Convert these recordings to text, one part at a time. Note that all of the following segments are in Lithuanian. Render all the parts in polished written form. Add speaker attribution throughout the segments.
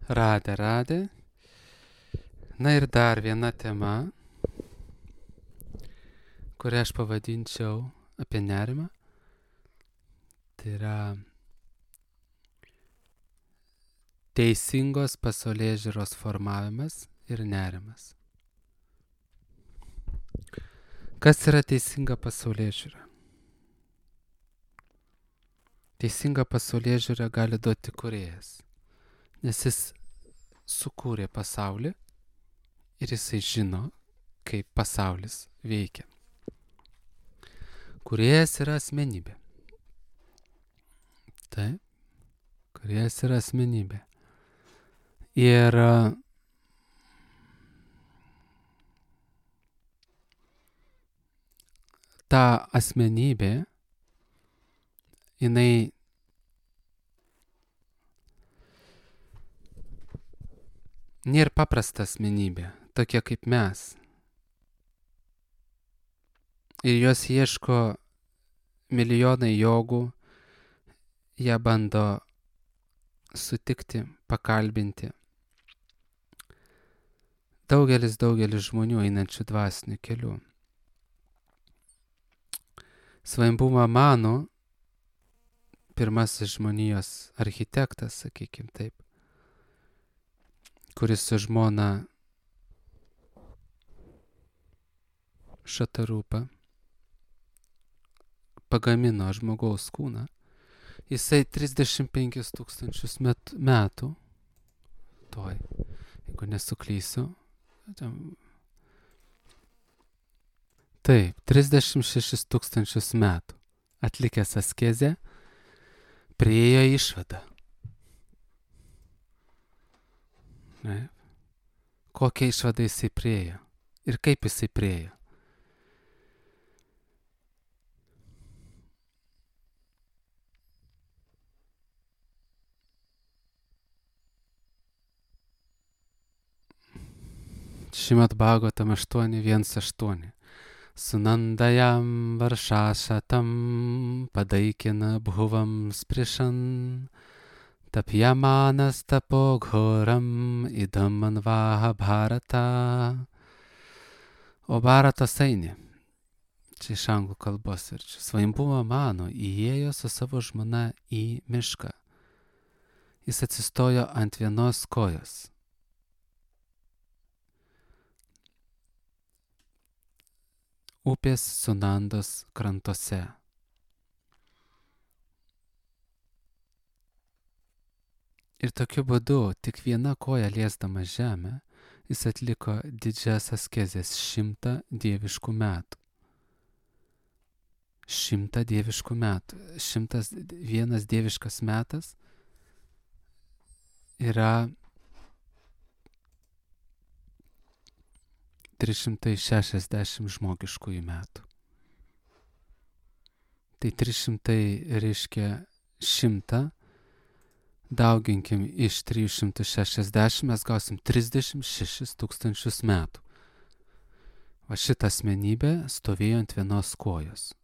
Speaker 1: Radė. Na ir dar viena tema, kurią aš pavadinčiau apie nerimą. Tai yra teisingos pasaulėžiūros formavimas ir nerimas. Kas yra teisinga pasaulėžiūra? Teisinga pasaulėžiūra gali duoti kūrėjas, nes jis sukūrė pasaulį ir jisai žino, kaip pasaulis veikia. Kūrėjas yra asmenybė. Taip, kūrėjas yra asmenybė. Ir ta asmenybė, jinai nėra paprasta asmenybė, tokia kaip mes. Ir jos ieško milijonai jogų, ją bando sutikti, pakalbinti. Daugelis žmonių einančių dvasiniu keliu. Svambuma Manu, pirmasis žmonijos architektas, sakykim taip, kuris su žmona Šatarūpa pagamino žmogaus kūną. Jisai 35 000 metų, jeigu nesuklysiu, taip, 36 000 metų atlikęs askezę, priėjo išvadą. Kokią išvadą jisai priėjo ir kaip jisai priėjo. Šrimad Bhagavatam 8.1.8. Sunandayam varšašatam padaikina bhuvam sprišan tapjamanas tapo ghoram idam manvaha bharata. O Bharatas eini. Čia iš anglų kalbos ir čia. Svambuma Manu įėjo su savo žmona į mišką. Jis atsistojo ant vienos kojos. Upės Sunandos krantuose. Ir tokiu būdu, tik viena koja liesdama žemę, jis atliko didžias askezės 100 dieviškų metų. 100 dieviškų metų. 101 dieviškas metas yra 360 žmogiškųjų metų. Tai 300 reiškia 100, dauginkim iš 360, mes gausim 36 000 metų. Va šita asmenybė stovėjo ant vienos kojos.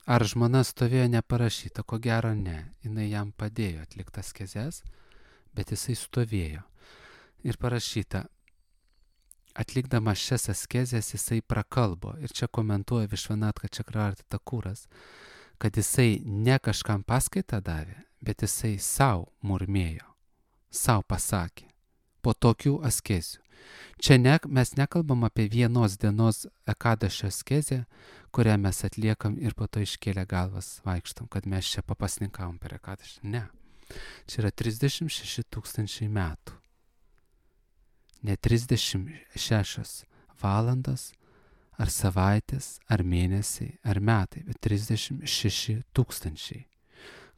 Speaker 1: Ar žmona stovėjo neparašyta? Ko gero ne. Jinai jam padėjo atlikti askezes, bet jisai stovėjo. Ir parašyta, atlikdama šias askezes jisai prakalbo. Ir čia komentuoja Višvanatka Čakravarti Takuras, kad jisai ne kažkam paskaitą davė, bet jisai savo murmėjo, savo pasakė po tokių askezių. Čia mes nekalbam apie vienos dienos ekadašio askezę, kurią mes atliekam ir po to iškėlę galvas vaikštam, kad mes čia papasninkavom per ekadašį. Ne. Čia yra 36 000 metų. Ne 36 valandas, ar savaitės, ar mėnesiai, ar metai, bet 36 000.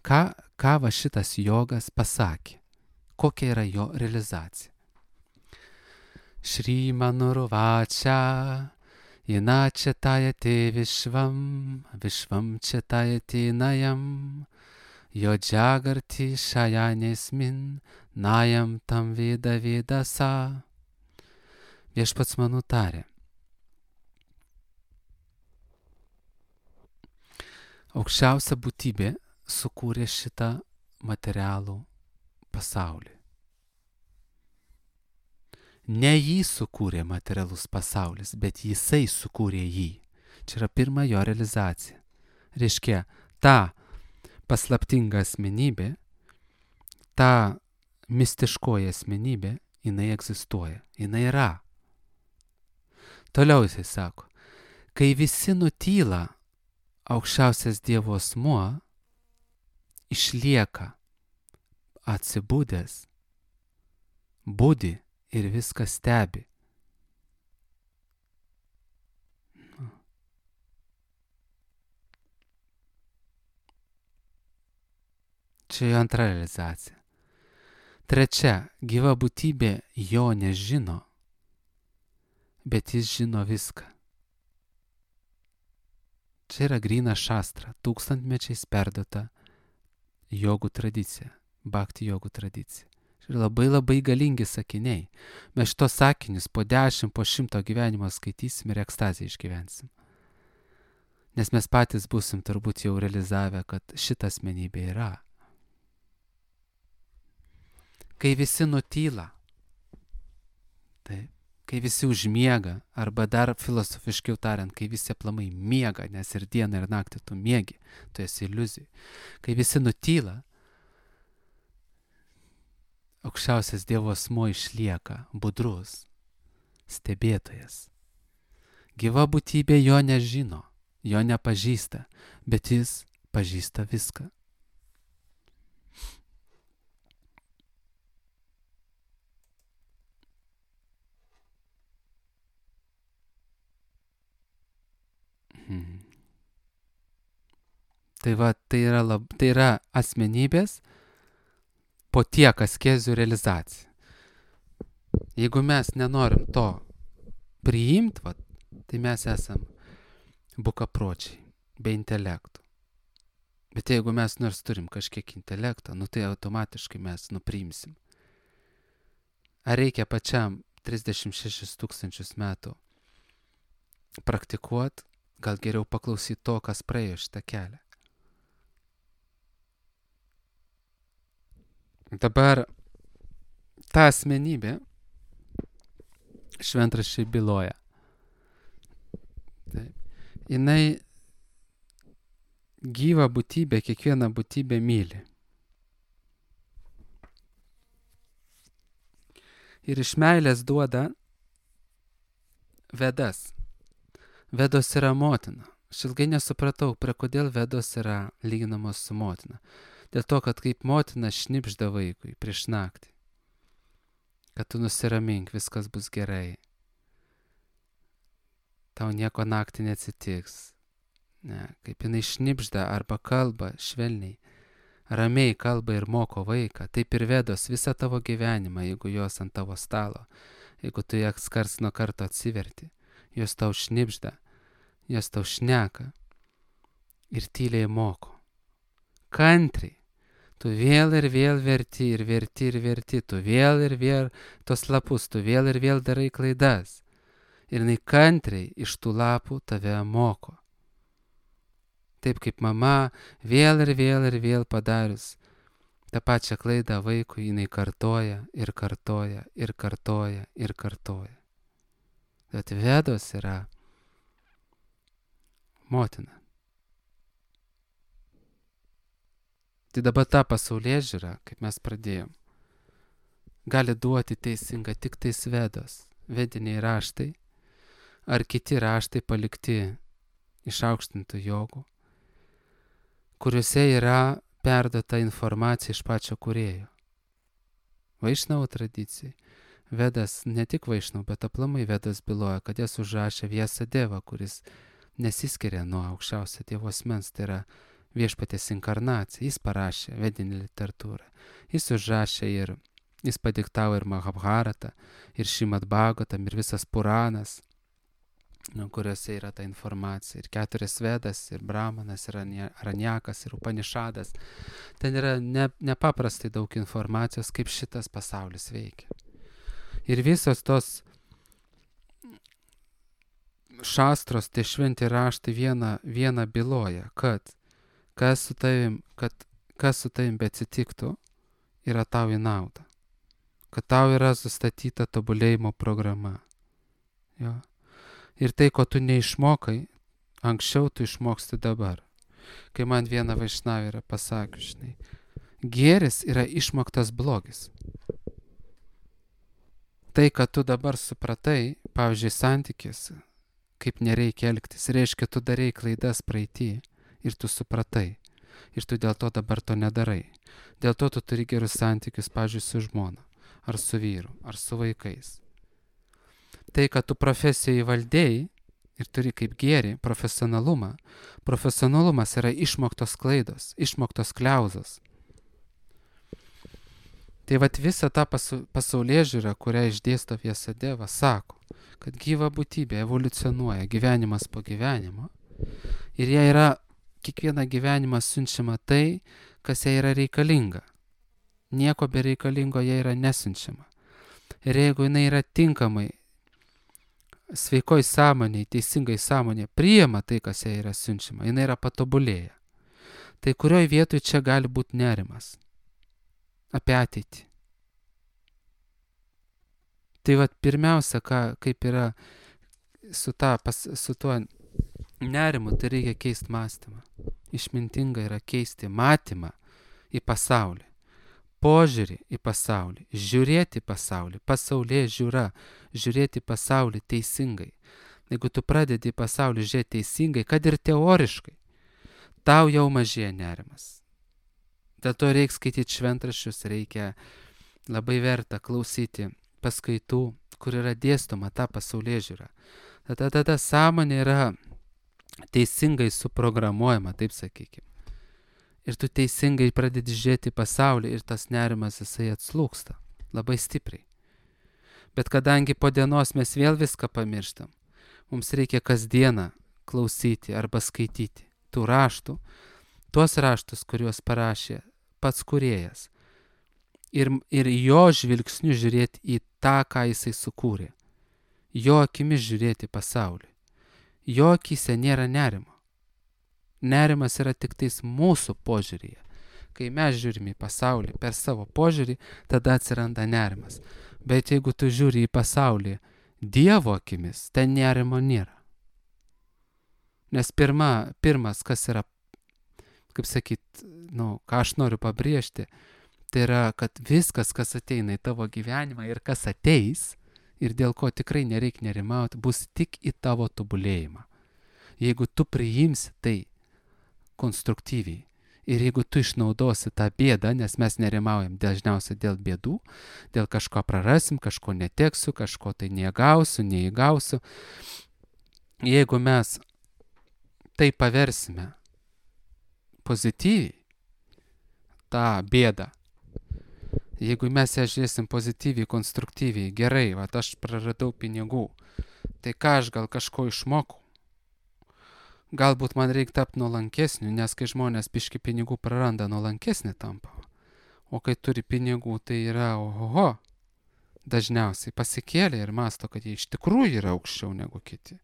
Speaker 1: Ką va šitas jogas pasakė? Kokia yra jo realizacija? Šrimanuruvačia, inačetayate vishvam četayate nayam, jo džagarti šajanesmin, najam tam veda sa. Viešpats man nutarė. Aukščiausia būtybė sukūrė šitą materialų pasaulį. Ne jį sukūrė materialus pasaulis, bet jisai sukūrė jį. Čia yra pirma jo realizacija. Reiškia, ta paslaptinga asmenybė, ta mistiškoji asmenybė, jinai egzistuoja, jinai yra. Toliau jisai sako, kai visi nutyla, aukščiausias Dievo asmuo išlieka atsibudęs, budi ir viską stebi. Čia jo antra realizacija. Trečia, gyva būtybė jo nežino, bet jis žino viską. Čia yra gryna šastra, tūkstantmečiais perduota jogų tradicija, bhakti jogų tradicija. Čia yra labai galingi sakiniai. Mes šitos sakinius po 10, po 100 gyvenimo skaitysim ir ekstaziją išgyvensim. Nes mes patys būsim turbūt jau realizavę, kad šita asmenybė yra. Kai visi nutyla, taip, kai visi užmiega, arba dar filosofiškiau tariant, kai visi aplamai miega, nes ir dieną ir naktį tu miegi, tu esi iliuzijai. Kai visi nutyla, aukščiausias Dievo asmuo išlieka budrus, stebėtojas. Gyva būtybė jo nežino, jo nepažįsta, bet jis pažįsta viską. Tai va, tai yra asmenybės po tiek askezių realizacija. Jeigu mes nenorim to priimti, va, tai mes esam bukapročiai, be intelektų. Bet jeigu mes nors turim kažkiek intelekto, tai automatiškai mes nupriimsim. Ar reikia pačiam 36 000 metų praktikuoti, gal geriau paklausyti to, kas praėjo šitą kelią. Dabar ta asmenybė šventraščiai byloja. Taip. Jinai gyva būtybė, kiekviena būtybė myli. Ir iš meilės duoda Vedas. Vedos yra motina. Aš ilgai nesupratau, prie kodėl Vedos yra lyginamos su motina. Dėl to, kad kaip motina šnipžda vaikui prieš naktį. Kad tu nusiramink, viskas bus gerai. Tau nieko naktį neatsitiks. Ne, kaip jinai šnipžda arba kalba švelniai, ramiai kalba ir moko vaiką, taip ir Vedos visą tavo gyvenimą, jeigu jos ant tavo stalo, jeigu tu jas karts nuo karto atsiverti. Jos tau šnipžda, jos tau šneka ir tyliai moko. Kantriai. Tu vėl ir vėl verti ir verti ir verti. Tu vėl ir vėl tos lapus, tu vėl ir vėl darai klaidas. Ir jinai kantriai iš tų lapų tave moko. Taip kaip mama vėl ir vėl padarius tą pačią klaidą vaikui, jinai kartoja ir kartoja ir kartoja ir kartoja. Bet Vedos yra motina. Tai dabar ta pasaulėžiūra, kaip mes pradėjom, gali duoti teisingą tik tais Vedos, vediniai raštai, ar kiti raštai palikti išaukštintų jogų, kuriuose yra perduota informacija iš pačio kūrėjo. Vaišnavo tradicijai. Vedas, ne tik Vaišnavo, bet aplamai Vedas byloja, kad jas užrašė Vyasadeva, kuris nesiskiria nuo aukščiausio Dievo asmens, tai yra viešpaties inkarnacija. Jis parašė vedinį literatūrą. Jis užrašė ir, jis padiktavo ir Mahabharatą, ir Šrimad Bhagavatam, ir visas Puranas, kuriuose yra ta informacija. Ir 4 Vedas, ir Brahmanas, ir Aranyakas, ir Upanišadas. Ten yra nepaprastai daug informacijos, kaip šitas pasaulis veikia. Ir visos tos šastros, tie šventi raštai vieną byloja, kad kas su tavim beatsitiktų yra tau į naudą. Kad tau yra sustatyta tobulėjimo programa. Jo. Ir tai, ko tu neišmokai, anksčiau tu išmoksti dabar. Kai man viena vaišnavė yra pasakius, žinai, gėris yra išmoktas blogis. Tai, kad tu dabar supratai, pavyzdžiui, santykėse, kaip nereikia elgtis, reiškia, tu darei klaidas praeitį ir tu supratai. Ir tu dėl to dabar to nedarai. Dėl to tu turi gerus santykius, pavyzdžiui, su žmona, ar su vyru, ar su vaikais. Tai, kad tu profesijoje valdėjai ir turi kaip gėrį profesionalumą, profesionalumas yra išmoktos klaidos, išmoktos kliauzos. Tai vat visą tą pasaulėžiūrą, kurią išdėsto Vyasadeva, sako, kad gyva būtybė evoliucionuoja gyvenimas po gyvenimo ir jie yra kiekvieną gyvenimą siunčiama tai, kas jai yra reikalinga. Nieko bereikalingo jai yra nesiunčiama. Ir jeigu jinai yra tinkamai, sveikoj sąmonėj, teisingai sąmonėj, priima tai, kas jai yra siunčiama, jinai yra patobulėję. Tai kurioj vietoj čia gali būti nerimas? Apie ateitį. Tai vat pirmiausia, kaip yra su tuo nerimu, tai reikia keisti mąstymą. Išmintinga yra keisti matymą į pasaulį, požiūrį į pasaulį, žiūrėti pasaulį, pasaulyje žiūra, žiūrėti pasaulį teisingai. Jeigu tu pradedi pasaulį žiūrėti teisingai, kad ir teoriškai, tau jau mažėja nerimas. Dėl to reikia skaityti šventraščius, reikia labai verta klausyti paskaitų, kur yra dėstoma ta pasaulėžiūra. Tada sąmonė yra teisingai suprogramuojama, taip sakykime. Ir tu teisingai pradedi žiūrėti pasaulį ir tas nerimas jisai atslūksta labai stipriai. Bet kadangi po dienos mes vėl viską pamirštam, mums reikia kasdieną klausyti arba skaityti tų raštų, tuos raštus, kuriuos parašė pats kūrėjas. Ir jo žvilgsniu žiūrėti į tą, ką jisai sukūrė. Jo akimis žiūrėti pasaulį. Jo akise nėra nerimo. Nerimas yra tik tais mūsų požiūryje. Kai mes žiūrime į pasaulį per savo požiūrį, tada atsiranda nerimas. Bet jeigu tu žiūri į pasaulį Dievo akimis, ten nerimo nėra. Nes pirmas, kas yra, kaip sakyt, ką aš noriu pabrėžti, tai yra, kad viskas, kas ateina į tavo gyvenimą ir kas ateis, ir dėl ko tikrai nereikia nerimauti, bus tik į tavo tobulėjimą. Jeigu tu priimsi tai konstruktyviai ir jeigu tu išnaudosi tą bėdą, nes mes nerimaujam dažniausiai dėl bėdų, dėl kažko prarasim, kažko neteksiu, kažko tai neįgausiu. Jeigu mes tai paversime pozityviai, tą bėdą, jeigu mes ją žiūrėsim pozityviai, konstruktyviai, gerai, aš praradau pinigų, tai ką aš gal kažko išmokau? Galbūt man reikia tapti nuolankesniu, nes kai žmonės biški pinigų praranda, nuolankesnį tampa. O kai turi pinigų, tai yra ohoho, dažniausiai pasikėlė ir masto, kad jie iš tikrųjų yra aukščiau negu kiti.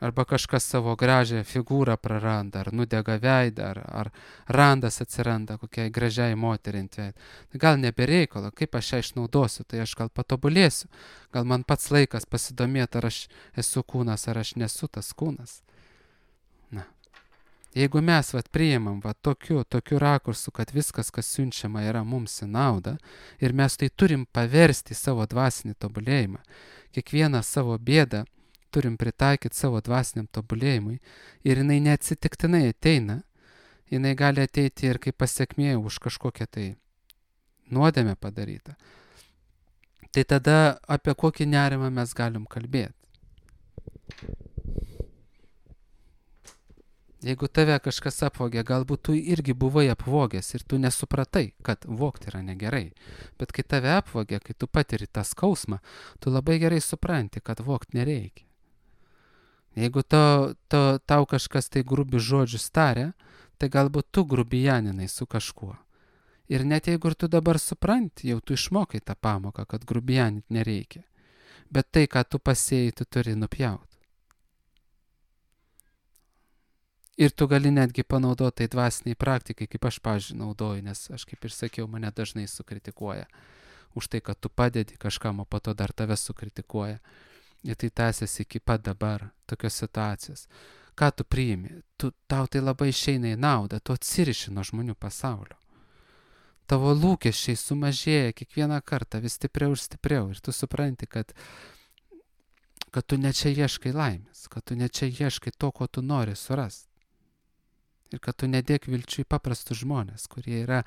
Speaker 1: Arba kažkas savo gražią figūrą praranda, ar nudega veidą, ar randas atsiranda kokiai gražiai moteriai ant veido. Tai gal nebereikalo, kaip aš ją išnaudosiu, tai aš gal patobulėsiu. Gal man pats laikas pasidomėti, ar aš esu kūnas, ar aš nesu tas kūnas. Jeigu mes priimam tokiu rakursu, kad viskas, kas siunčiama, yra mums į naudą, ir mes tai turim paversti savo dvasinį tobulėjimą, kiekvieną savo bėdą turim pritaikyti savo dvasiniam tobulėjimui ir jinai neatsitiktinai ateina, jinai gali ateiti ir kaip pasiekmė už kažkokią tai nuodėmę padarytą. Tai tada apie kokį nerimą mes galim kalbėti? Jeigu tave kažkas apvogė, galbūt tu irgi buvai apvogęs ir tu nesupratai, kad vogti yra negerai. Bet kai tave apvogė, kai tu patiri tą skausmą, tu labai gerai supranti, kad vogti nereikia. Jeigu tau kažkas tai grubi žodžius taria, tai galbūt tu grubijaninai su kažkuo. Ir net jeigu ir tu dabar supranti, jau tu išmokai tą pamoką, kad grubijaninti nereikia. Bet tai, ką tu pasėjai, tu turi nupjauti. Ir tu gali netgi panaudoti tai dvasiniai praktikai, kaip aš, pavyzdžiui, naudoju, nes aš, kaip ir sakiau, mane dažnai sukritikuoja už tai, kad tu padedi kažkam, o po to dar tave sukritikuoja. Ir tai tęsiasi iki pat dabar, tokios situacijos. Ką tu priimi? Tau tai labai išeina į naudą, tu atsiriši nuo žmonių pasaulio. Tavo lūkesčiai sumažėja kiekvieną kartą vis stipriau ir stipriau. Ir tu supranti, kad tu ne čia ieškai laimės, kad tu ne čia ieškai to, ko tu nori surasti. Ir kad tu nedėk vilčių į paprastus žmonės, kurie yra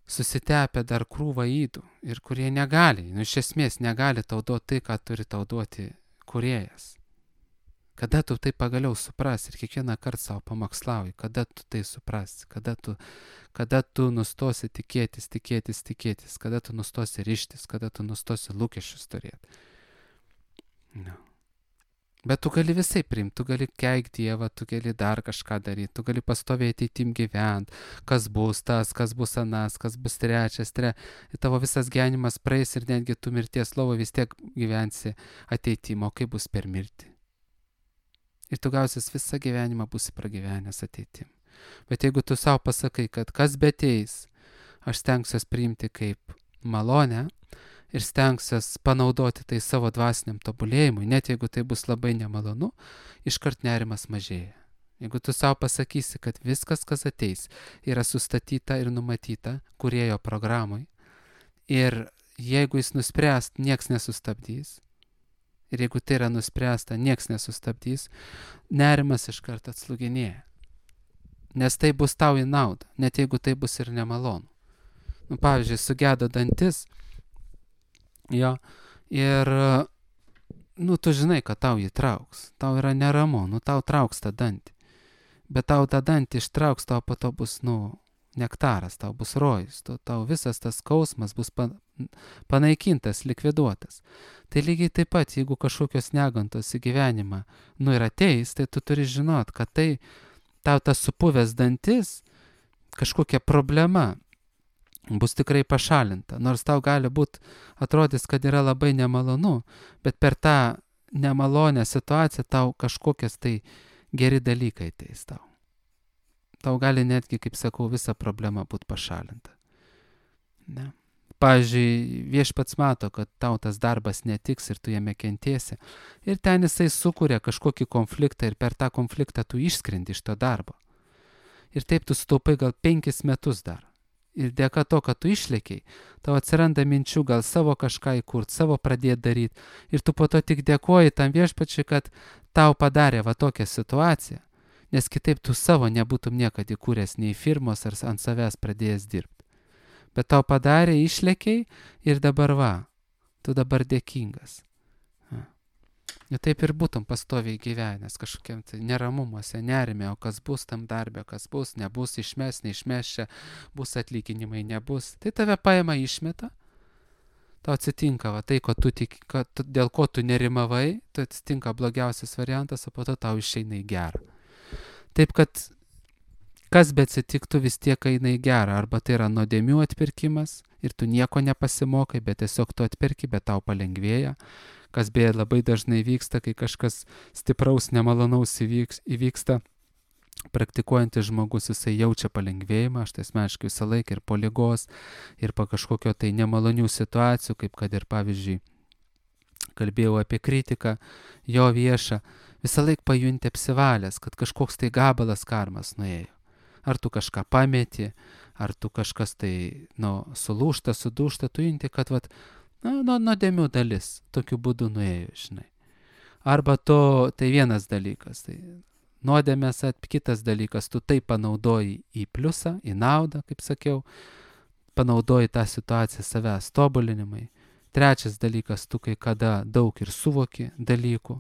Speaker 1: susitepę dar krūvą ydų ir kurie negali, iš esmės negali tau duoti tai, ką turi tau duoti kūrėjas. Kada tu tai pagaliau suprasi ir kiekvieną kartą savo pamokslauji, kada tu tai suprasi, kada tu nustosi tikėtis, kada tu nustosi ryžtis, kada tu nustosi lūkesčius turėti. No. Bet tu gali visai priimti, tu gali keikti Dievą, tu gali dar kažką daryti, tu gali pastovėti ateitim gyventi, kas bus tas, kas bus anas, kas bus trečias, ir tavo visas gyvenimas praeis ir netgi tu mirties lovo vis tiek gyvensi ateitim, o kaip bus per mirtį. Ir tu gausis visą gyvenimą būsi pragyvenęs ateitim. Bet jeigu tu savo pasakai, kad kas beteis, aš stengsiuos priimti kaip malonę, ir stengsiuos panaudoti tai savo dvasiniam tobulėjimui, net jeigu tai bus labai nemalonu, iškart nerimas mažėja. Jeigu tu savo pasakysi, kad viskas, kas ateis, yra sustatyta ir numatyta kūrėjo programai, ir jeigu jis nuspręs, nieks nesustabdys, ir jeigu tai yra nuspręsta, nieks nesustabdys, nerimas iškart atslūginėja. Nes tai bus tau į naudą, net jeigu tai bus ir nemalonu. Pavyzdžiui, sugedo dantis, jo, ir, tu žinai, kad tau jį trauks, tau yra neramu, tau trauks tą dantį, bet tau tą dantį ištrauks, tau po to bus, nektaras, tau bus rojus, tau visas tas skausmas bus panaikintas, likviduotas. Tai lygiai taip pat, jeigu kažkokios negantos į gyvenimą, ir ateis, tai tu turi žinot, kad tai tau tas supuvęs dantis, kažkokia problema, bus tikrai pašalinta, nors tau gali būt atrodys, kad yra labai nemalonu, bet per tą nemalonę situaciją tau kažkokias tai geri dalykai ateis tau. Tau gali netgi, kaip sakau, visa problema būt pašalinta. Ne. Pavyzdžiui, Viešpats mato, kad tau tas darbas netiks ir tu jame kentėsi, ir ten jisai sukuria kažkokį konfliktą ir per tą konfliktą tu išskrendi iš to darbo. Ir taip tu sutaupai gal 5 metus dar. Ir dėka to, kad tu išlėkiai, tau atsiranda minčių gal savo kažką įkurt, savo pradėti daryti. Ir tu po to tik dėkoji tam Viešpačiui, kad tau padarė va tokią situaciją, nes kitaip tu savo nebūtum niekada įkūręs nei firmos ar ant savęs pradėjęs dirbti. Bet tau padarė, išlėkiai ir dabar tu dabar dėkingas. Ir taip ir būtum pastoviai gyvenęs kažkokiam tai neramumuose, nerime, o kas bus tam darbe, kas bus, nebus, išmes, neišmes čia, bus atlyginimai, nebus. Tai tave paima išmeta, tau atsitinka tai, dėl ko tu nerimavai, tai atsitinka blogiausias variantas, o po to tau išeina į gerą. Taip kad kas be atsitiktų vis tiek eina į gerą, arba tai yra nuodėmių atpirkimas ir tu nieko nepasimokai, bet tiesiog tu atpirki, bet tau palengvėja. Kas beje labai dažnai vyksta, kai kažkas stipraus, nemalonaus įvyksta, praktikuojantis žmogus, jisai jaučia palengvėjimą, aš tai asmeniškai visą laiką ir po ligos, ir po kažkokio tai nemalonių situacijų, kaip kad ir pavyzdžiui, kalbėjau apie kritiką, jo viešą, visą laiką pajunti apsivalęs, kad kažkoks tai gabalas karmas nuėjo. Ar tu kažką pameti, ar tu kažkas tai, sulūžta, sudūžta, tu junti, kad nuodėmių dalis tokiu būdu nuėjo, žinai. Arba tai vienas dalykas, tai nuodėmės, kitas dalykas, tu tai panaudoji į pliusą, į naudą, kaip sakiau, panaudoji tą situaciją savęs tobulinimai. Trečias dalykas, tu kai kada daug ir suvoki dalykų.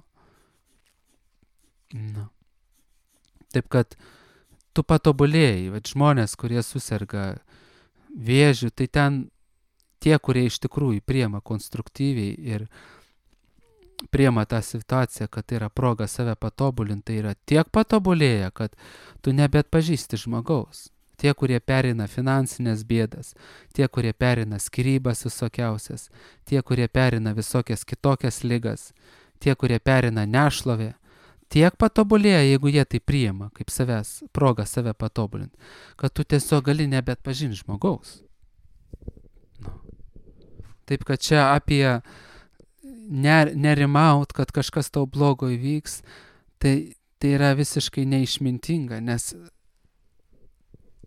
Speaker 1: Taip kad tu patobulėjai, žmonės, kurie suserga vėžiu, tai ten tie, kurie iš tikrųjų priema konstruktyviai ir priema tą situaciją, kad tai yra proga save patobulinti, tai yra tiek patobulėję, kad tu nebeatpažįsti žmogaus. Tie, kurie perina finansinės bėdas, tie, kurie perina skyrybas visokiausias, tie, kurie perina visokias kitokias ligas, tie, kurie perina nešlovę, tiek patobulėja, jeigu jie tai priima, kaip savęs, proga save patobulinti, kad tu tiesiog gali nebeatpažinti žmogaus. Nu. Taip, kad čia apie nerimaut, kad kažkas tau blogo įvyks, tai yra visiškai neišmintinga, nes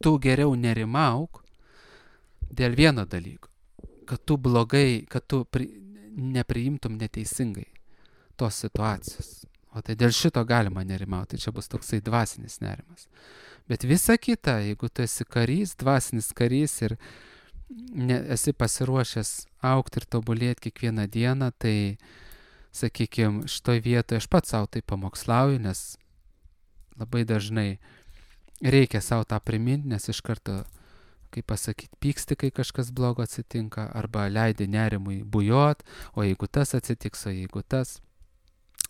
Speaker 1: tu geriau nerimauk dėl vieno dalyko, kad tu blogai, kad tu nepriimtum neteisingai tos situacijos. O tai dėl šito galima nerimauti, tai čia bus toksai dvasinis nerimas. Bet visa kita, jeigu tu esi karys, dvasinis karys ir esi pasiruošęs augti ir tobulėti kiekvieną dieną, tai, sakykime, šitoj vietoje aš pats savo tai pamokslauju, nes labai dažnai reikia savo tą priminti, nes iš karto, kaip pasakyti, pyksti, kai kažkas blogo atsitinka, arba leidi nerimui bujot, o jeigu tas atsitiks, o jeigu tas,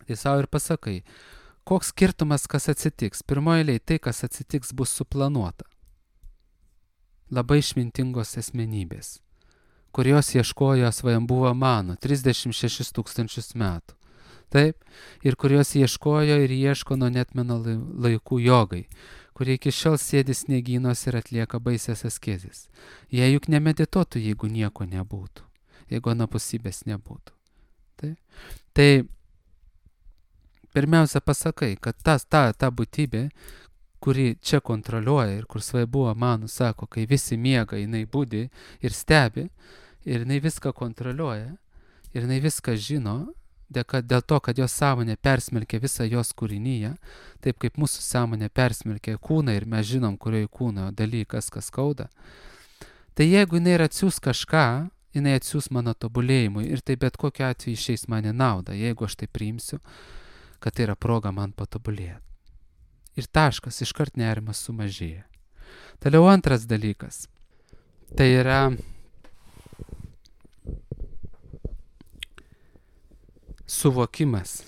Speaker 1: tai savo ir pasakai, koks skirtumas, kas atsitiks. Pirmoje eilėje tai, kas atsitiks, bus suplanuota. Labai išmintingos asmenybės, kurios ieškojo svajambuvo mano 36 000 metų. Taip, ir kurios ieškojo ir ieško nuo netmeno laikų jogai, kurie iki šiol sėdi sniegynos ir atlieka baisias askezes. Jie juk nemedituotų, jeigu nieko nebūtų, jeigu anapusybės nebūtų. Taip. Tai pirmiausia pasakai, kad ta būtybė, kuri čia kontroliuoja ir kur svajambuvo mano sako, kai visi miega, jinai budi ir stebi, ir jinai viską kontroliuoja, ir jinai viską žino, dėl to, kad jos sąmonė persmelkia visą jos kūrinyje, taip kaip mūsų sąmonė persmelkia kūną ir mes žinom, kurioje kūno dalykas, kas skauda. Tai jeigu jinai atsiūs kažką, jinai atsiūs mano tobulėjimui ir tai bet kokiu atveju išeis man į naudą, jeigu aš tai priimsiu, kad tai yra proga man patobulėti. Ir taškas, iškart nerimas sumažėja. Toliau antras dalykas. Tai yra suvokimas,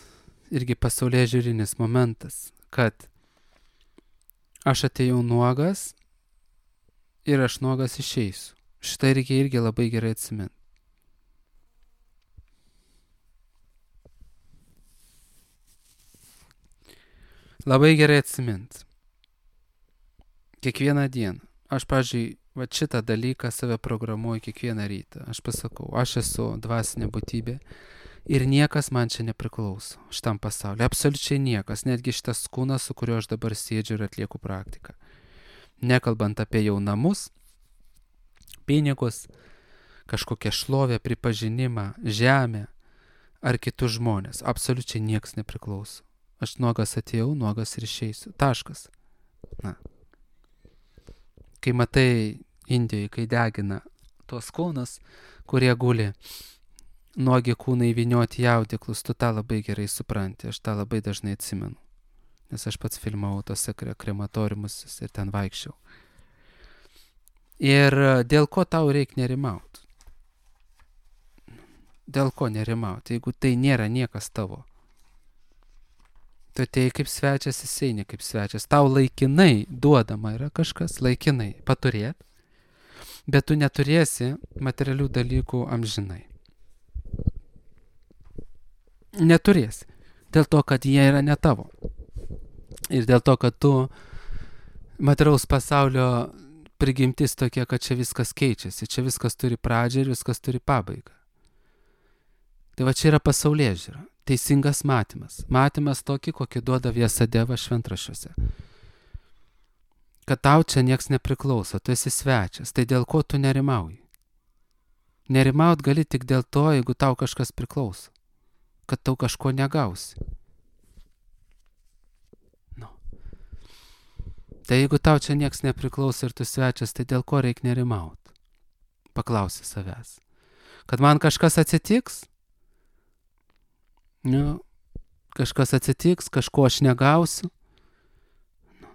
Speaker 1: irgi pasaulėžiūrinis momentas, kad aš atėjau nuogas ir aš nuogas išeisiu. Šitą reikia irgi labai gerai atsiminti. Labai gerai atsiminti. Kiekvieną dieną. Aš, pavyzdžiui, šitą dalyką save programuoju kiekvieną rytą. Aš pasakau, aš esu dvasinė būtybė ir niekas man čia nepriklauso šitam pasauliu. Absoliučiai niekas, netgi šitas kūnas, su kuriuo aš dabar sėdžiu ir atlieku praktiką. Nekalbant apie jau namus, pinigus, kažkokią šlovę, pripažinimą, žemę ar kitus žmonės. Absoliučiai niekas nepriklauso. Aš nuogas atėjau, nuogas ir išeisiu. Taškas. Na. Kai matai Indijoje, kai degina tuos kūnus, kurie guli nuogi kūnai įvynioti į audeklus, tu tą labai gerai supranti. Aš tą labai dažnai atsimenu. Nes aš pats filmavau tose krematoriumus ir ten vaikščiau. Ir dėl ko tau reikia nerimauti? Dėl ko nerimauti, jeigu tai nėra niekas tavo? Tu atėjai kaip svečias, jis eini kaip svečias. Tau laikinai duodama yra kažkas, laikinai paturėt, bet tu neturėsi materialių dalykų amžinai. Neturėsi. Dėl to, kad jie yra ne tavo. Ir dėl to, kad tu materialaus pasaulio prigimtis tokia, kad čia viskas keičiasi. Čia viskas turi pradžią ir viskas turi pabaigą. Tai va čia yra pasaulėžiūra. Teisingas matymas. Matymas tokį, kokį duoda Vyasadeva šventraščiuose. Kad tau čia nieks nepriklauso, tu esi svečias. Tai dėl ko tu nerimauji? Nerimaut gali tik dėl to, jeigu tau kažkas priklauso. Kad tau kažko negausi. No. Tai jeigu tau čia nieks nepriklauso ir tu svečias, tai dėl ko reikia nerimaut? Paklausi savęs. Kad man kažkas atsitiks? Nu, kažkas atsitiks, kažko aš negausiu. Nu.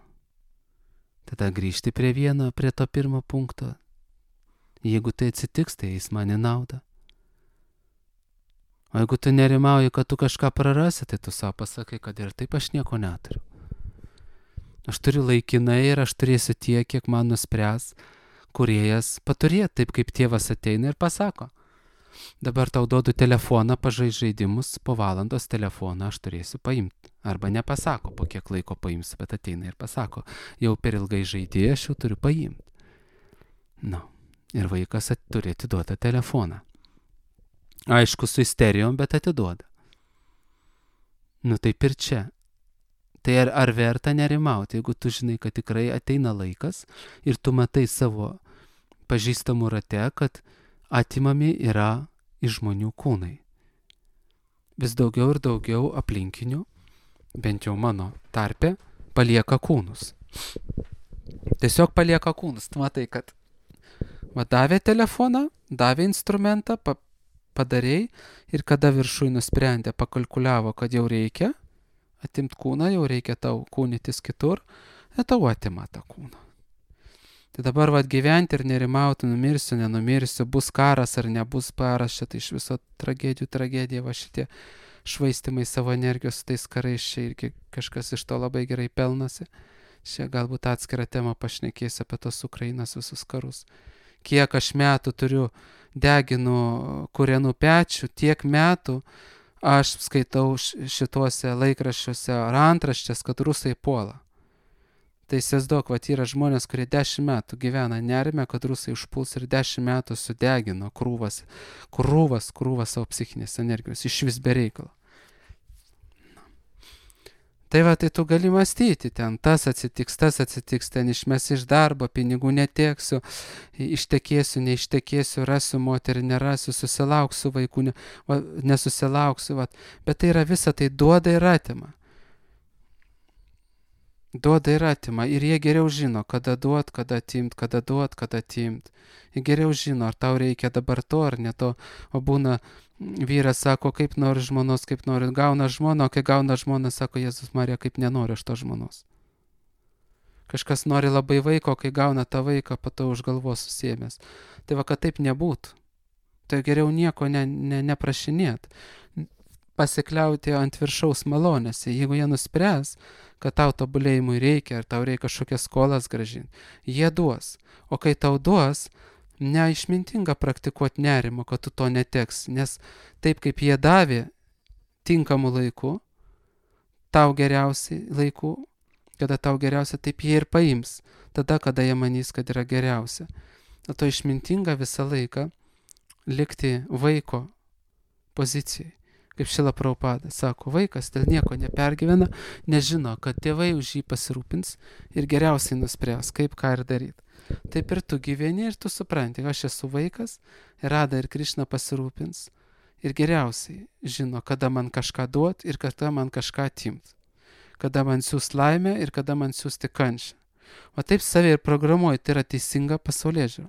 Speaker 1: Tada grįžti prie to pirmo punkto. Jeigu tai atsitiks, tai jis man į naudą. O jeigu tu nerimauji, kad tu kažką prarasi, tai tu savo pasakai, kad ir taip aš nieko neturiu. Aš turiu laikinai ir aš turėsiu tiek, kiek man nuspręs kūrėjas paturėti, taip kaip tėvas ateina ir pasako. Dabar tau duodu telefoną, pažais žaidimus, po valandos telefoną aš turėsiu paimti. Arba nepasako, po kiek laiko paims, bet ateina ir pasako, jau per ilgai žaidėjai, aš jau turiu paimti. Nu, ir vaikas turi atiduotą telefoną. Aišku, su isterijom, bet atiduoda. Nu taip ir čia. Tai ar verta nerimauti, jeigu tu žinai, kad tikrai ateina laikas ir tu matai savo pažįstamų rate, kad atimami yra iš žmonių kūnai. Vis daugiau ir daugiau aplinkinių, bent jau mano tarpe, palieka kūnus. Tiesiog palieka kūnus. Tu matai, kad davė telefoną, davė instrumentą, padarėjai ir kada viršui nusprendė, pakalkuliavo, kad jau reikia atimt kūną, jau reikia tau kūnytis kitur, tau atima tą kūną. Tai dabar gyventi ir nerimauti, numirsiu, nenumirsiu, bus karas ar nebus karas, šitą iš viso tragedija, šitie švaistimai savo energijos su tais karais, čia irgi kažkas iš to labai gerai pelnasi. Čia galbūt atskirą temą pašnekėsiu apie tos Ukrainos visus karus. Kiek aš metų turiu deginu Kūrenų pečių, tiek metų aš skaitau šituose laikraščiuose ar antraštės, kad rusai puola. Tai įsivaizduok, yra žmonės, kurie 10 metų gyvena nerime, kad rusai užpuls ir 10 metų sudegino krūvas savo psichinės energijos, iš vis be reikalo. Tai tai tu gali mąstyti, ten tas atsitiks, ten išmes iš darbo, pinigų neteksiu, ištekėsiu, neištekėsiu, rasiu moterį, nerasiu, susilauksiu vaikų, nesusilauksiu, bet tai yra visa, tai duoda ir atima. Duoda ir atima ir jie geriau žino, kada duot, kada atimt, kada duot, kada atimt. Jie geriau žino, ar tau reikia dabar to ar ne to, o būna vyras sako, kaip nori žmonos, kaip nori, gauna žmoną, o kai gauna žmoną, sako, Jėzus Marija, kaip nenori aš to žmonos. Kažkas nori labai vaiko, kai gauna tą vaiką, pato už galvos susiėmęs. Tai kad taip nebūtų. Tai geriau nieko neprašinėt. Pasikliauti ant viršaus malonėse. Jeigu jie nuspręs, kad tau tobulėjimui reikia, ar tau reikia kažkokias skolas grąžinti, jie duos. O kai tau duos, neišmintinga praktikuoti nerimo, kad tu to neteks, nes taip kaip jie davė tinkamų laikų, tau geriausiai laikų, kada tau geriausia, taip jie ir paims, tada, kada jie manys, kad yra geriausia. O to išmintinga visą laiką likti vaiko pozicijai. Kaip Šrila Prabhupada sako, vaikas dėl nieko nepergyvena, nežino, kad tėvai už jį pasirūpins ir geriausiai nuspręs, kaip ką ir daryti. Taip ir tu gyveni ir tu supranti, aš esu vaikas, Rada ir Krišna pasirūpins ir geriausiai žino, kada man kažką duot ir kada man kažką atimt. Kada man siūs laimę ir kada man siūsti kančią. O taip save ir programuoju, tai yra teisinga pasaulėžiūra.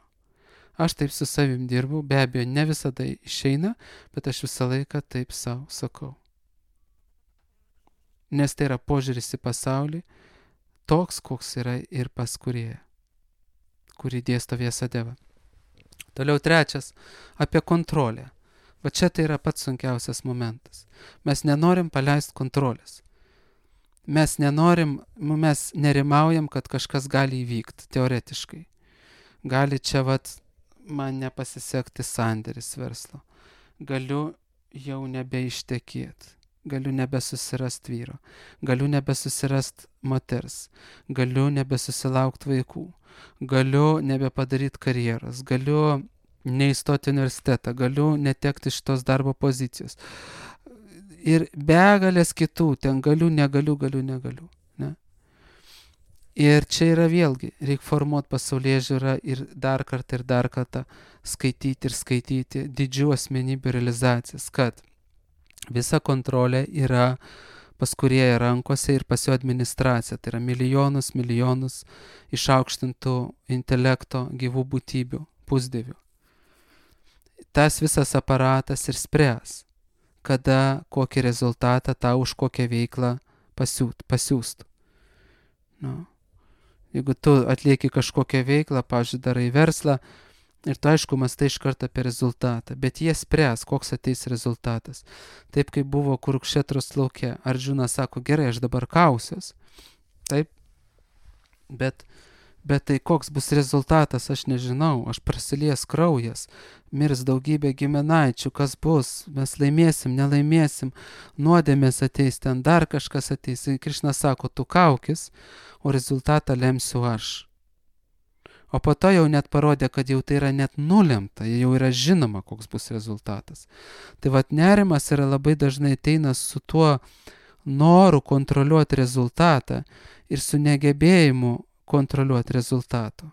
Speaker 1: Aš taip su savim dirbu, be abejo, ne visada išeina, bet aš visą laiką taip savo sakau. Nes tai yra požiūris į pasaulį, toks, koks yra ir pas Kūrėją, kurį dėsto Vyasadeva. Toliau trečias, apie kontrolę. Va čia tai yra pats sunkiausias momentas. Mes nenorim paleisti kontrolės. Mes nerimaujam, kad kažkas gali įvykti, teoretiškai. Gali čia man nepasisekti sandėris verslo. Galiu jau nebeištekėti. Galiu nebesusirast vyro. Galiu nebesusirast moters. Galiu nebesusilaukt vaikų. Galiu nebepadaryti karjeros. Galiu neįstoti universitetą. Galiu netekti šitos darbo pozicijos. Ir begalės kitų. Ten galiu, negaliu. Ne? Ir čia yra vėlgi, reikia formuoti pasaulėžiūrą ir dar kartą skaityti didžių asmenybių realizacijas, kad visa kontrolė yra pas Kūrėją rankose ir pas jo administraciją. Tai yra milijonus išaukštintų intelekto gyvų būtybių, pusdievių. Tas visas aparatas ir spręs, kada kokį rezultatą tau už kokią veiklą pasiūstų. No. Jeigu tu atlieki kažkokią veiklą, pavyzdžiui, darai verslą, ir tu aišku mąstai iš karto apie rezultatą, bet jie spręs, koks ateis rezultatas. Taip kaip buvo Kurukšetros lauke. Arjuna sako, gerai, aš dabar kausiuos. Taip, bet Bet tai koks bus rezultatas, aš nežinau, aš prasilies kraujas, mirs daugybė giminaičių, kas bus, mes laimėsim, nelaimėsim, nuodėmės ateis, ten dar kažkas ateis. Ir Krišna sako, tu kaukis, o rezultatą lemsiu aš. O po to jau net parodė, kad jau tai yra net nulemta, jau yra žinoma, koks bus rezultatas. Tai vat nerimas yra labai dažnai ateina su tuo noru kontroliuoti rezultatą ir su negebėjimu kontroliuoti rezultato.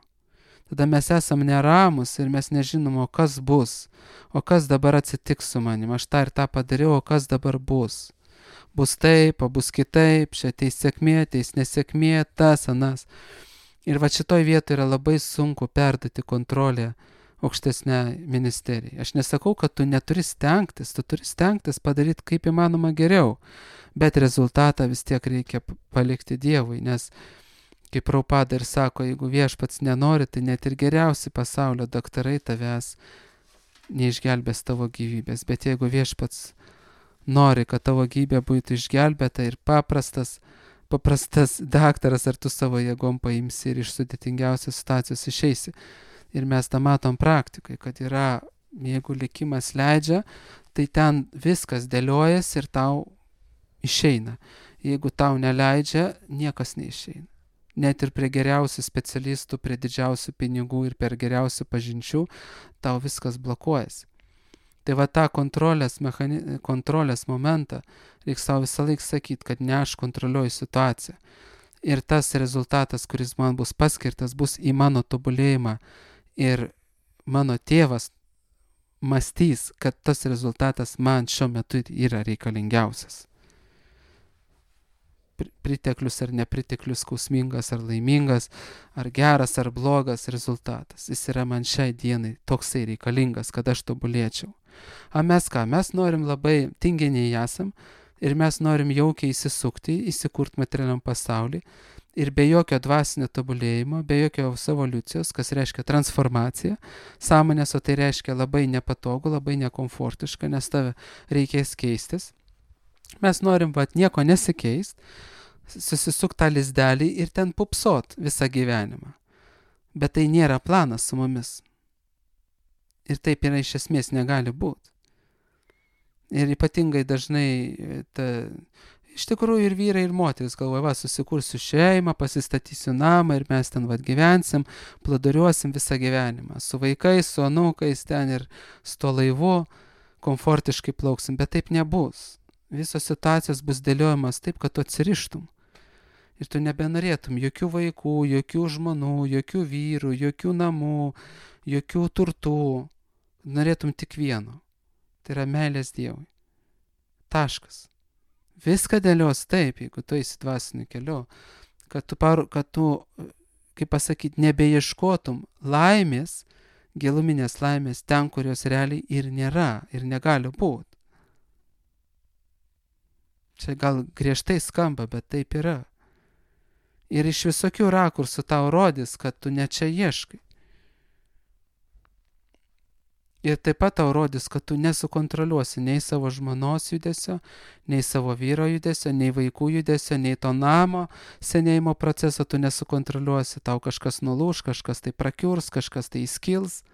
Speaker 1: Tada mes esam neramus ir mes nežinom, o kas bus, o kas dabar atsitiks su manim, aš tą ir tą padariau, o kas dabar bus. Bus taip, o bus kitaip, čia ateis sėkmė, ateis nesėkmė, tas, anas. Ir va šitoj vietoje yra labai sunku perduoti kontrolę aukštesnę ministeriją. Aš nesakau, kad tu neturi stengtis, tu turi stengtis padaryti kaip įmanoma geriau, bet rezultatą vis tiek reikia palikti Dievui, nes kaip Prabhupada ir sako, jeigu viešpats nenori, tai net ir geriausi pasaulio daktarai tavęs neišgelbės tavo gyvybės, bet jeigu viešpats nori, kad tavo gyvybė būtų išgelbėta ir paprastas daktaras, ar tu savo jėgom paimsi ir iš sudėtingiausios situacijos išeisi. Ir mes tą matom praktikai, kad yra, jeigu likimas leidžia, tai ten viskas dėliojasi ir tau išeina. Jeigu tau neleidžia, niekas neišeina. Net ir prie geriausių specialistų, prie didžiausių pinigų ir per geriausių pažinčių, tau viskas blokuojasi. Tai va tą kontrolės momentą reikia savo visą laiką sakyti, kad ne aš kontroliuoju situaciją. Ir tas rezultatas, kuris man bus paskirtas, bus į mano tobulėjimą. Ir mano tėvas mąstys, kad tas rezultatas man šiuo metu yra reikalingiausias. Priteklius ar nepriteklius, skausmingas ar laimingas, ar geras ar blogas rezultatas. Jis yra man šiai dienai toksai reikalingas, kad aš tobulėčiau. O mes ką? Mes norim labai tinginiai esam ir mes norim jaukiai įsisukti, įsikurti materialiam pasaulį ir be jokio dvasinio tobulėjimo, be jokios evoliucijos, kas reiškia transformaciją, sąmonės, o tai reiškia labai nepatogu, labai nekomfortiška, nes tave reikės keistis. Mes norim nieko nesikeist, susisuk tą lizdelį ir ten pupsot visą gyvenimą. Bet tai nėra planas su mumis. Ir taip yra iš esmės negali būti. Ir ypatingai dažnai, iš tikrųjų ir vyrai, ir moteris galvoja, susikursiu šeimą, pasistatysiu namą ir mes ten gyvensim, plūduriuosim visą gyvenimą. Su vaikais, su anūkais ten ir su tuo laivu komfortiškai plauksim, bet taip nebus. Visos situacijos bus dėliojamas taip, kad tu atsirištum. Ir tu nebenorėtum jokių vaikų, jokių žmonų, jokių vyrų, jokių namų, jokių turtų. Norėtum tik vieno. Tai yra meilės Dievui. Taškas. Viską dėlios taip, jeigu tu eisi dvasiniu keliu, kad tu, kaip pasakyti, nebeieškotum laimės, giluminės laimės ten, kurios realiai ir nėra, ir negali būti. Čia gal griežtai skamba, bet taip yra. Ir iš visokių rakursų tau rodys, kad tu ne čia ieškai. Ir taip pat tau rodys, kad tu nesukontroliuosi nei savo žmonos judesio, nei savo vyro judesio, nei vaikų judesio, nei to namo senėjimo proceso tu nesukontroliuosi. Tau kažkas nulūš, kažkas tai prakiurs, kažkas tai įskils.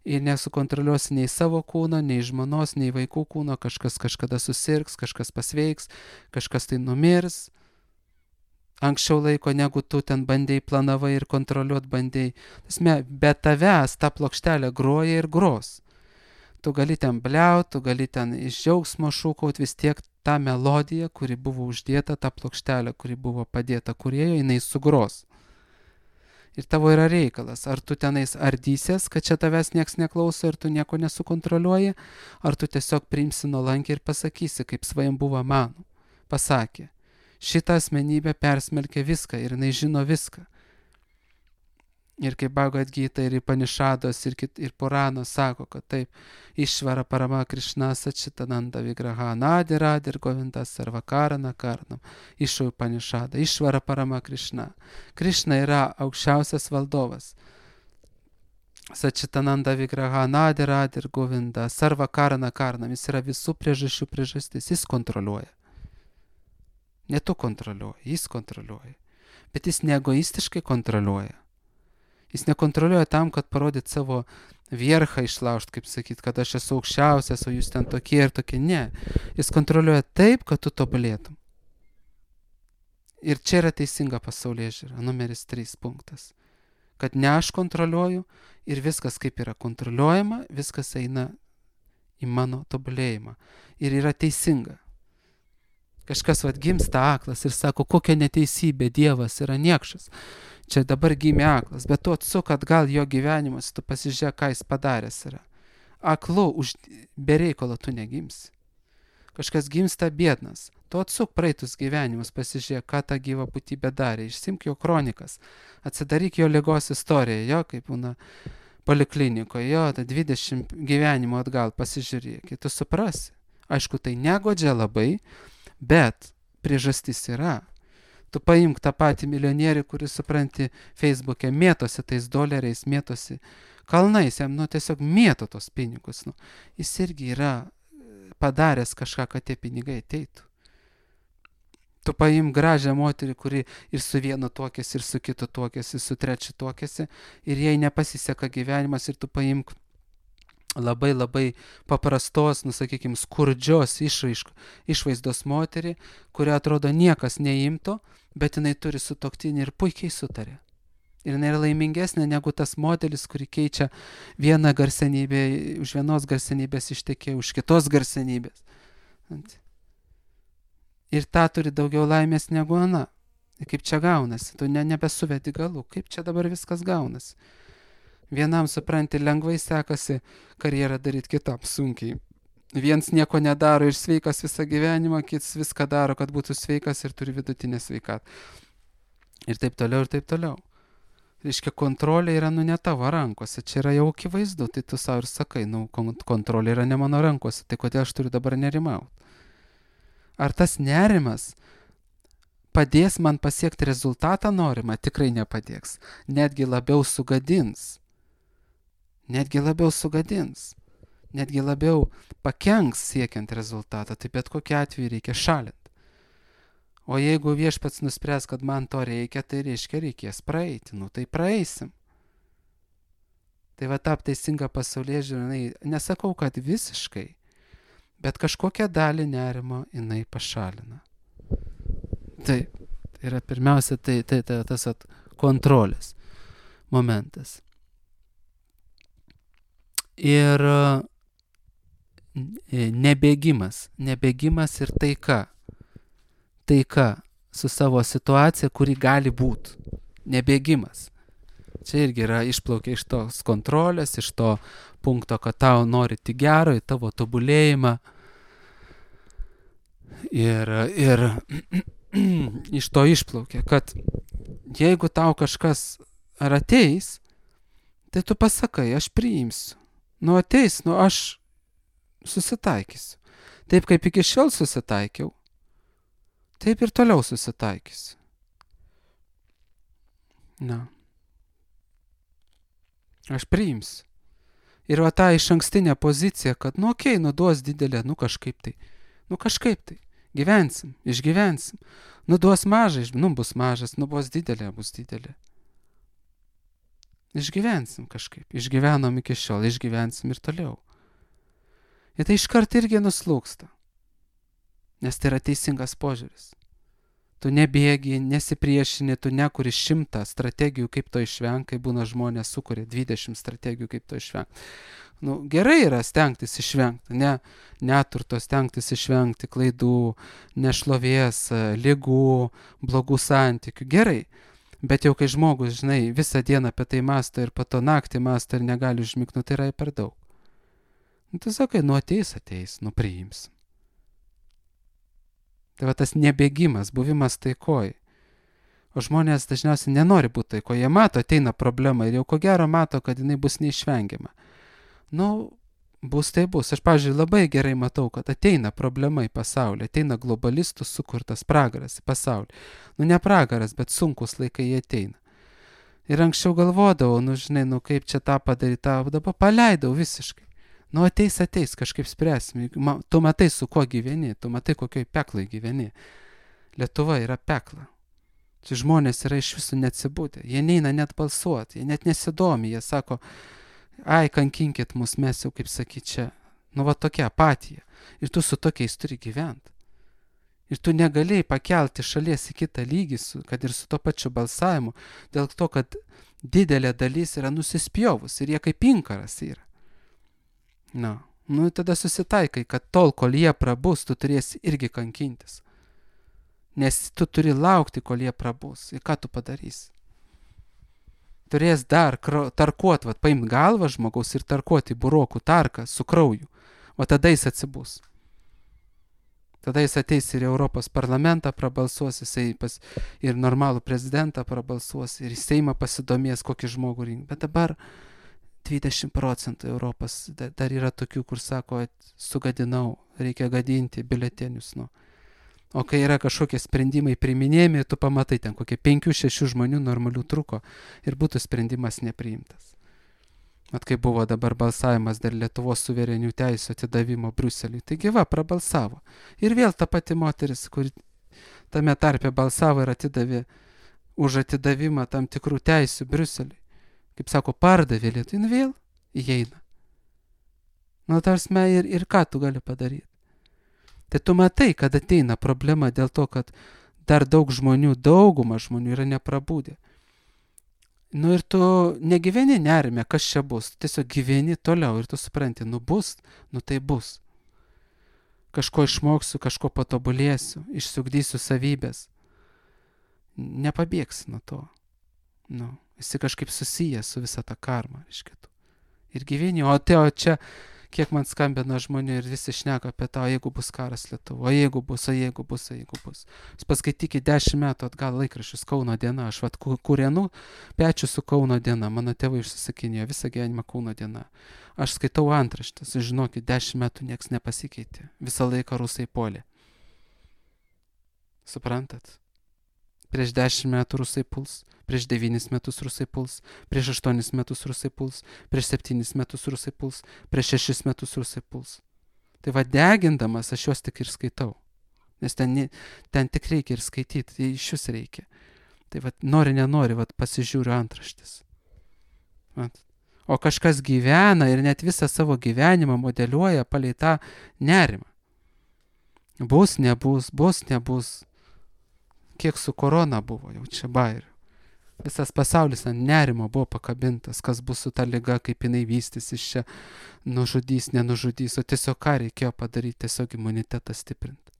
Speaker 1: Ir nesukontroliuosi nei savo kūno, nei žmonos, nei vaikų kūno. Kažkas kažkada susirgs, kažkas pasveiks, kažkas tai numirs. Anksčiau laiko, negu tu ten bandėjai, planavai ir kontroliuot bandėjai. Bet tavęs ta plokštelė groja ir gros. Tu gali ten bliaut, tu gali ten iš džiaugsmo šūkaut, vis tiek ta melodija, kuri buvo uždėta, ta plokštelė, kuri buvo padėta kūrėjo, jinai sugros. Ir tavo yra reikalas, ar tu tenais ardysies, kad čia tavęs nieks neklauso ir tu nieko nesukontroliuoji, ar tu tiesiog priimsi nuolankiai ir pasakysi, kaip Svajambuva Manu pasakė. Šitą asmenybę persmelkia viską ir jinai žino viską. Ir kaip Bhagavad Gita ir Upanišados ir Puranos sako, kad taip, Išvara Parama Krišna Sačitananda Vigraha Nadir Govindas Sarvakarana Karnam. Iš Upanišado. Išvara Parama Krišna. Krišna yra aukščiausias valdovas. Sačitananda Vigraha Nadir Govindas Sarvakarana Karnam. Jis yra visų priežasčių priežastis. Jis kontroliuoja. Ne tu kontroliuoji, jis kontroliuoja. Bet jis neegoistiškai kontroliuoja. Jis nekontroliuoja tam, kad parodyt savo vierchą išlaužt, kaip sakyt, kad aš esu aukščiausias, o jūs ten tokie ir tokie. Ne. Jis kontroliuoja taip, kad tu tobulėtum. Ir čia yra teisinga pasaulėžiūra, numeris 3 punktas. Kad ne aš kontroliuoju ir viskas kaip yra kontroliuojama, viskas eina į mano tobulėjimą. Ir yra teisinga. Kažkas gimsta aklas ir sako, kokia neteisybė, Dievas yra niekšas. Čia dabar gimė aklas, bet tu atsuk atgal jo gyvenimas, tu pasižiūrėk, ką jis padaręs yra. Aklu, be reikalo tu negimsi. Kažkas gimsta biednas. Tu atsuk praeitus gyvenimus, pasižiūrėk, ką ta gyva būtybė darė. Išsimk jo kronikas, atsidaryk jo ligos istoriją, jo, kaip būna poliklinikoje, jo, 20 gyvenimo atgal pasižiūrėk, tu suprasi. Aišku, tai negodžia labai, bet priežastis yra. Tu paimk tą patį milijonierių, kuris, supranti, Facebook'e mėtosi tais doleriais, mėtosi kalnais, jam, tiesiog mėto tos pinigus. Jis irgi yra padaręs kažką, kad tie pinigai ateitų. Tu paimk gražią moterį, kuri ir su vienu tuokėsi, ir su kitu tuokėsi, su trečiu tuokėsi, ir jai nepasiseka gyvenimas, ir tu paimk labai labai paprastos, sakykime, skurdžios išvaizdos moterį, kuri atrodo niekas neimto, bet jinai turi sutuoktinį ir puikiai sutarė. Ir jinai yra laimingesnė negu tas modelis, kuri keičia vieną garsenybę, už vienos garsenybės ištekėjo, už kitos garsenybės. Ir ta turi daugiau laimės negu ana. Kaip čia gaunasi? Tu nebesuvedi galų. Kaip čia dabar viskas gaunasi? Vienam, supranti, lengvai sekasi karjerą daryti, kitam sunkiai. Viens nieko nedaro ir sveikas visą gyvenimą, kitas viską daro, kad būtų sveikas ir turi vidutinę sveikatą. Ir taip toliau, ir taip toliau. Reiškia, kontrolė yra ne tavo rankose, čia yra jau akivaizdu, tai tu savo ir sakai, kontrolė yra ne mano rankose, tai kodėl aš turiu dabar nerimauti? Ar tas nerimas padės man pasiekti rezultatą norimą? Tikrai nepadės. Netgi labiau sugadins. Netgi labiau pakenks siekiant rezultatą, tai bet kokiu atveju reikia šalinti. O jeigu viešpats nuspręs, kad man to reikia, tai reiškia reikės praeiti, tai praeisim. Tai tap teisinga pasaulėžiūra, nesakau, kad visiškai, bet kažkokią dalį nerimo jinai pašalina. Taip, tai yra pirmiausia, tai tas kontrolės momentas. Ir nebėgimas ir taika su savo situacija, kuri gali būti. Nebėgimas. Čia irgi yra išplaukia iš tos kontrolės, iš to punkto, kad tau nori tik gero, į tavo tobulėjimą. Ir iš to išplaukia, kad jeigu tau kažkas ar ateis, tai tu pasakai, aš priimsiu. Ateis, aš susitaikysiu. Taip kaip iki šiol susitaikiau, taip ir toliau susitaikysiu. Aš priimsiu. Ir ta išankstinė pozicija, kad, duos didelė, kažkaip tai. Gyvensim, išgyvensim. Duos mažai, bus mažas, bus didelė, bus didelė. Išgyvensim kažkaip. Išgyvenom iki šiol, išgyvensim ir toliau. Ir tai iškart irgi nuslūksta. Nes tai yra teisingas požiūris. Tu nebėgi, nesipriešini, tu nekuri 100 strategijų, kaip to išvengti, kai būna žmonės sukuria 20 strategijų, kaip to išvengti. Gerai yra stengtis išvengti, neturto stengtis išvengti, klaidų, nešlovės, ligų, blogų santykių. Gerai. Bet jau kai žmogus, visą dieną apie tai mąsto ir po to naktį mąsto ir negali užmigti, tai yra per daug. Tu sakai, ateis, priimsim. Tai tas nebėgimas, buvimas taikoj. O žmonės dažniausiai nenori būti taikoj. Jie mato, ateina problema ir jau ko gero mato, kad jinai bus neišvengiama. Bus tai bus. Aš, pavyzdžiui, labai gerai matau, kad ateina problema į pasaulį, ateina globalistų sukurtas pragaras į pasaulį. Ne pragaras, bet sunkus laikai jie ateina. Ir anksčiau galvodavau, kaip čia tą padaryti, dabar paleidau visiškai. Ateis, kažkaip spręsim. Tu matai, su kuo gyveni, tu matai, kokioj peklai gyveni. Lietuva yra pekla. Tai žmonės yra iš viso neatsibūdę. Jie neina net balsuoti, jie net nesidomi, jie sako, ai, kankinkit mus, mes jau, kaip sakyti, čia, nu va tokia apatija. Ir tu su tokiais turi gyventi. Ir tu negalėjai pakelti šalies į kitą lygį, kad ir su to pačiu balsavimu, dėl to, kad didelė dalis yra nusispjovus ir jie kaip inkaras yra. Nu, tada susitaikai, kad tol, kol jie prabus, tu turėsi irgi kankintis. Nes tu turi laukti, kol jie prabus. Ir ką tu padarysi? Turės dar tarkuot, paimt galvą žmogaus ir tarkuoti burokų tarką su krauju. O tada jis atsibus. Tada jis ateis ir Europos parlamentą prabalsuos, jisai ir normalų prezidentą prabalsuos, ir į Seimą pasidomės, kokį žmogų rinkti. Bet dabar 20% Europos dar yra tokių, kur sako, sugadinau, reikia gadinti biuletenius. O kai yra kažkokie sprendimai priiminėjami, tu pamatai ten kokie 5-6 žmonių normalių truko ir būtų sprendimas nepriimtas. Mat kai buvo dabar balsavimas dėl Lietuvos suverenių teisų atidavimo Briuseliui, taigi va, prabalsavo. Ir vėl ta pati moteris, kuri tame tarpe balsavo ir atidavė už atidavimą tam tikrų teisių Briuseliui, kaip sako, pardavė Lietuvai, nu vėl įeina. Nu, tarsi ir ką tu gali padaryti? Tai tu matai, kad ateina problema dėl to, kad dar dauguma žmonių yra neprabūdę. Nu ir tu negyveni nerime, kas čia bus, tu tiesiog gyveni toliau ir tu supranti, nu bus, nu tai bus. Kažko išmoksiu, kažko patobulėsiu, išsiugdysiu savybės. Nepabėgsi nuo to. Nu, esi kažkaip susijęs su visa ta karma, reiškia. Ir gyveni, o čia, kiek man skambina žmonių ir visi šneka apie tą, o jeigu bus karas Lietuvoje, o jeigu bus. Jūs paskaitykite 10 metų atgal laikraščius Kauno diena, aš kūrenu pečių su Kauno diena, mano tėvai užsisakinėjo visą gyvenimą Kauno diena. Aš skaitau antraštes, žinokit, 10 metų nieks nepasikeitė, visą laiką rusai puolė. Suprantat? Prieš 10 metų rusai puls, prieš 9 metus rusai puls, prieš 8 metus rusai puls, prieš 7 metus rusai puls, prieš 6 metus rusai puls. Tai va, degindamas aš juos tik ir skaitau. Nes ten tik reikia ir skaityti, tai iš jūs reikia. Tai va, nenori, pasižiūriu antraštis. O kažkas gyvena ir net visą savo gyvenimą modeliuoja palei tą nerimą. Bus, nebus. Kiek su korona buvo, jau čia bairių. Visas pasaulis ant nerimo buvo pakabintas, kas bus su ta liga, kaip jinai vystysis čia, nužudys, nenužudys, o tiesiog ką reikėjo padaryti, tiesiog imunitetą stiprinti.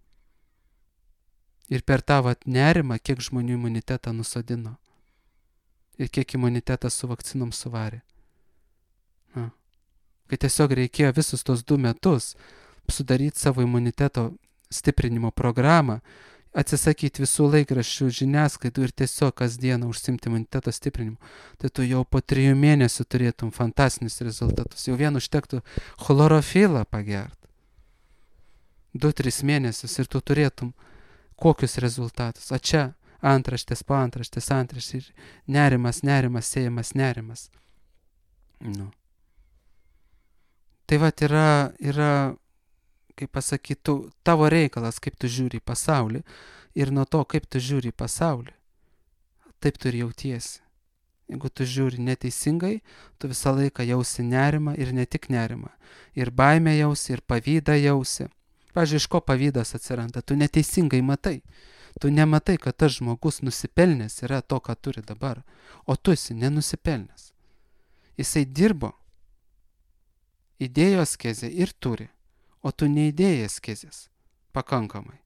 Speaker 1: Ir per tą nerimą, kiek žmonių imunitetą nusodino. Ir kiek imunitetą su vakcinom suvarė. Kai tiesiog reikėjo visus tos 2 metus sudaryti savo imuniteto stiprinimo programą, atsisakyti visų laikraščių žiniasklaidų ir tiesiog kasdieną užsimti imuniteto stiprinimu, tai tu jau po 3 mėnesių turėtum fantastinius rezultatus. Jau vien užtektų chlorofilą pagerti. 2-3 mėnesius ir tu turėtum kokius rezultatus. O čia antraštės po antraštės ir nerimas, sėjamas nerimas. Nu. Tai vat yra kaip pasakytų, tavo reikalas, kaip tu žiūri į pasaulį, ir nuo to, kaip tu žiūri į pasaulį, taip tu ir jautiesi. Jeigu tu žiūri neteisingai, tu visą laiką jausi nerimą ir ne tik nerimą. Ir baimę jausi, ir pavydą jausi. Pavyzdžiui, iš ko pavydas atsiranda? Tu neteisingai matai. Tu nematai, kad tas žmogus nusipelnęs yra to, ką turi dabar, o tu esi nenusipelnęs. Jisai dirbo, įdėjo askezę ir turi. O tu neįdėjai askezės pakankamai.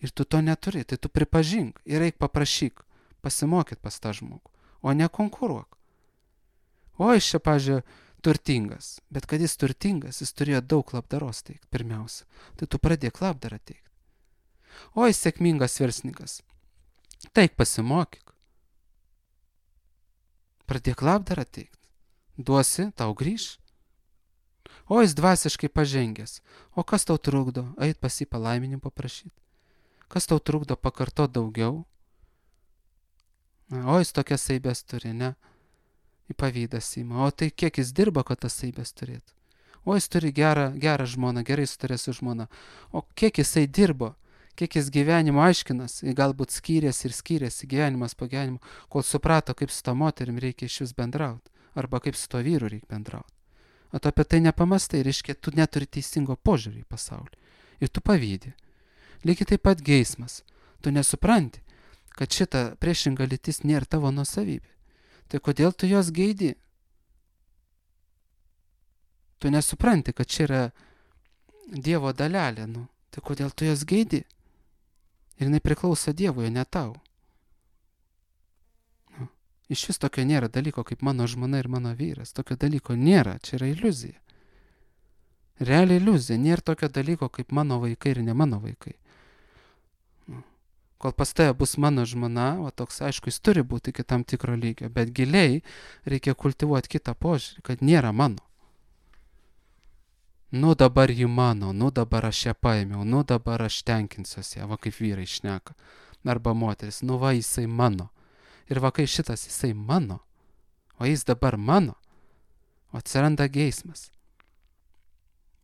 Speaker 1: Ir tu to neturi, tai tu pripažink ir eik paprašyk, pasimokyt pas tą žmogų, o ne konkuruok. O jis čia, pavyzdžiui, turtingas, bet kad jis turtingas, jis turėjo daug labdaros teikti pirmiausia. Tai tu pradėk labdarą teikti. O jis sėkmingas verslininkas, taik pasimokyk. Pradėk labdarą teikti. Duosi, tau grįš. O jis dvasiškai pažengęs. O kas tau trukdo? Eit pas jį palaiminimą paprašyti. Kas tau trukdo pakartot daugiau? O jis tokias saibės turi, ne? Į pavydą ima. O tai kiek jis dirba, kad tas saibės turėtų? O jis turi gerą žmoną, gerai sutarė su žmona. O kiek jisai dirbo, kiek jis gyvenimo aiškinas, galbūt skyrėsi gyvenimas po gyvenimo, kol suprato, kaip su to moterim reikia iš vis bendrauti, arba kaip su to vyru reikia bendrauti. O tu apie tai nepamastai, reiškia, tu neturi teisingo požiūrį į pasaulį. Ir tu pavydi. Lygiai taip pat geismas. Tu nesupranti, kad šita priešinga lytis nėra tavo nuosavybė. Tai kodėl tu jos geidi? Tu nesupranti, kad čia yra Dievo dalelė, tai kodėl tu jos geidi? Ir jinai priklauso Dievui, ne tau. Iš vis tokio nėra dalyko kaip mano žmona ir mano vyras. Tokio dalyko nėra, čia yra iliuzija. Realiai iliuzija, nėra tokio dalyko kaip mano vaikai ir ne mano vaikai. Kol pas tave bus mano žmona, o toks aišku, jis turi būti iki tam tikro lygio, bet giliai reikia kultivuoti kitą požiūrį, kad nėra mano. Dabar ji mano, dabar aš ją paėmiau, dabar aš tenkinsiuosi ją, va kaip vyrai šneka. Arba moteris, va jisai mano. Ir va kai šitas jisai mano, o jis dabar mano, o atsiranda geismas.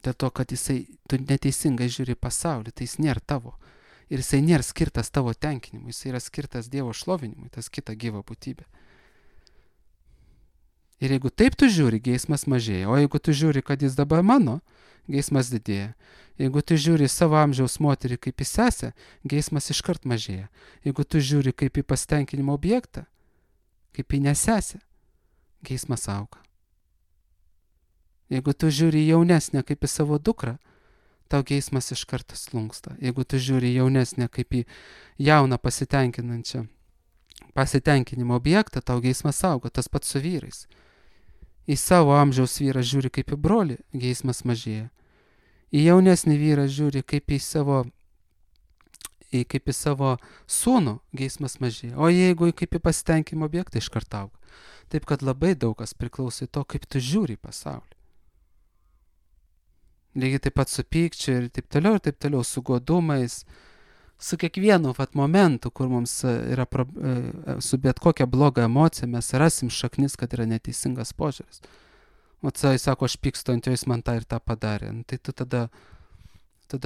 Speaker 1: Dėl to, kad tu neteisingai žiūri pasaulį, tai jis nėra tavo. Ir jisai nėra skirtas tavo tenkinimui, jisai yra skirtas Dievo šlovinimui, tas kita gyva būtybė. Ir jeigu taip tu žiūri, geismas mažėja, o jeigu tu žiūri, kad jis dabar mano, geismas didėja. Jeigu tu žiūri savo amžiaus moterį kaip į sesę, geismas iškart mažėja. Jeigu tu žiūri kaip į pasitenkinimo objektą, kaip į nesesę, geismas auga. Jeigu tu žiūri jaunesnę kaip į savo dukrą, tau geismas iš karto slunksta. Jeigu tu žiūri jaunesnę kaip į jauną pasitenkinimo objektą, tau geismas auga, tas pats su vyrais. Į savo amžiaus vyrą žiūri kaip į brolį, geismas mažėja. Į jaunesnį vyrą žiūri kaip į savo sūnų, geismas mažėja. O jeigu kaip į pasitenkinimo objektą iš karto auga. Taip kad labai daug kas priklauso į to, kaip tu žiūri į pasaulį. Lygiai taip pat su pykčiu ir taip toliau, su godumais, su kiekvienu momentu, kur mums yra su bet kokia bloga emocija, mes rasim šaknis, kad yra neteisingas požiūris. O jis sako, aš pykstu ant jo, jis man tą ir tą padarė. Tai tu tada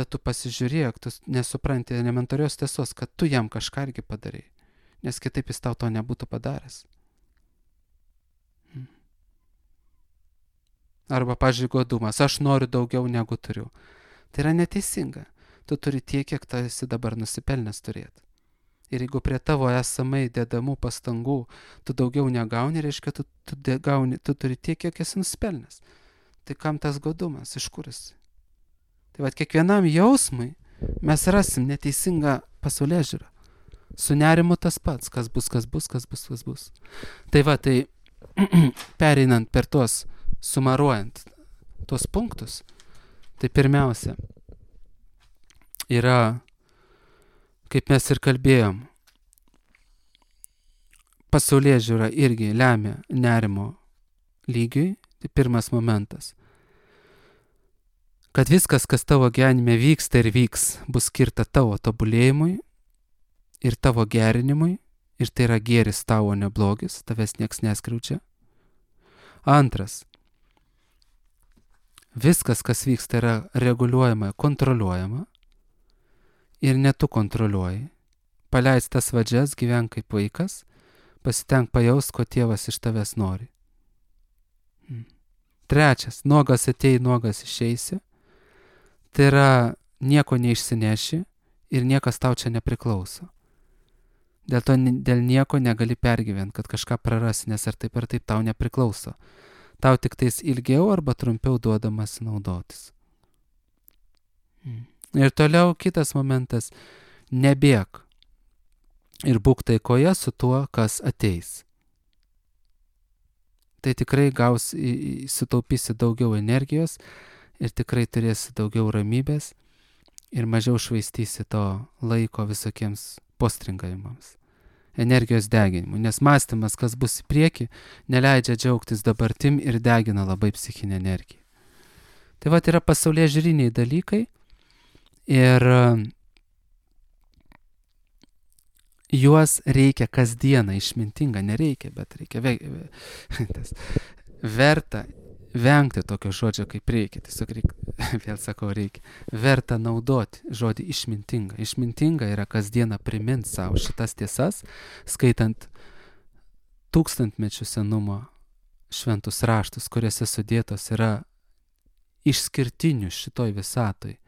Speaker 1: tu pasižiūrėk, tu nesupranti elementarios tiesos, kad tu jam kažką irgi padarai, nes kitaip jis tau to nebūtų padaręs. Arba, pavyzdžiui, godumas, aš noriu daugiau negu turiu. Tai yra neteisinga. Tu turi tiek, kiek tu esi dabar nusipelnęs turėti. Ir jeigu prie tavo esamai dedamų pastangų tu daugiau negauni, reiškia, tu turi tiek, kiek esi nusipelnęs. Tai kam tas godumas, iš kur esi? Tai kiekvienam jausmui mes rasim neteisingą pasaulėžiūrą. Su nerimu tas pats, kas bus. Tai pereinant per tuos, sumaruojant tuos punktus, tai pirmiausia yra, kaip mes ir kalbėjom, pasaulėžiūra irgi lemia nerimo lygiui, tai pirmas momentas. Kad viskas, kas tavo gyvenime vyksta ir vyks, bus skirta tavo tobulėjimui ir tavo gerinimui, ir tai yra gėris tavo, ne blogis, tavęs nieks neskriaučia. Antras. Viskas, kas vyksta, yra reguliuojama, kontroliuojama ir ne tu kontroliuoji. Paleis tas vadžias, gyvenk kaip vaikas, pasitenk pajaust, ko tėvas iš tavęs nori. Trečias. Nuogas atei, nuogas išeisi. Tai yra nieko neišsineši ir niekas tau čia nepriklauso. Dėl nieko negali pergyventi, kad kažką prarasi, nes ar taip tau nepriklauso. Tau tik tais ilgiau arba trumpiau duodamas naudotis. Ir toliau kitas momentas. Nebėk ir būk taikoje su tuo, kas ateis. Tai tikrai sutaupysi daugiau energijos ir tikrai turėsi daugiau ramybės ir mažiau švaistysi to laiko visokiems postringavimams, energijos deginimui, nes mąstymas, kas bus į priekį, neleidžia džiaugtis dabartim ir degina labai psichinę energiją. Tai yra pasaulėžiūriniai dalykai ir juos reikia kasdieną išmintinga, nereikia, bet reikia verta vengti tokio žodžio kaip reikia. Tiesiog reikia vėl sakau, reikia, verta naudoti žodį išmintinga. Išmintinga yra kasdieną primint savo šitas tiesas, skaitant tūkstantmečių senumo šventus raštus, kuriuose sudėtos yra išskirtinių šitoj visatoj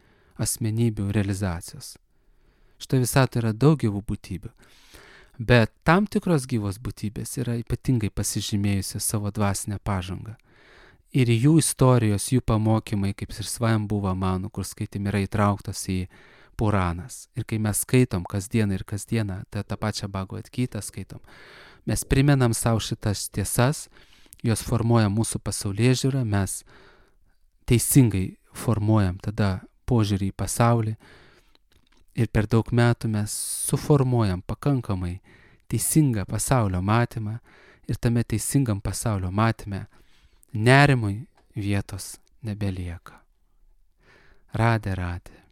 Speaker 1: asmenybių realizacijos. Šitoj visatoj yra daug gyvų būtybių, bet tam tikros gyvos būtybės yra ypatingai pasižymėjusios savo dvasinę pažangą. Ir jų istorijos, jų pamokymai, kaip ir Svajambhuva Manu, kur skaitėm, yra įtrauktos į Puranas. Ir kai mes skaitom kasdieną ir kasdieną, tą pačią Bhagavad Gitą skaitom, mes primenam savo šitas tiesas, jos formuoja mūsų pasaulėžiūrą, mes teisingai formuojam tada požiūrį į pasaulį ir per daug metų mes suformuojam pakankamai teisingą pasaulio matymą ir tame teisingam pasaulio matyme nerimui vietos nebelieka. Radė.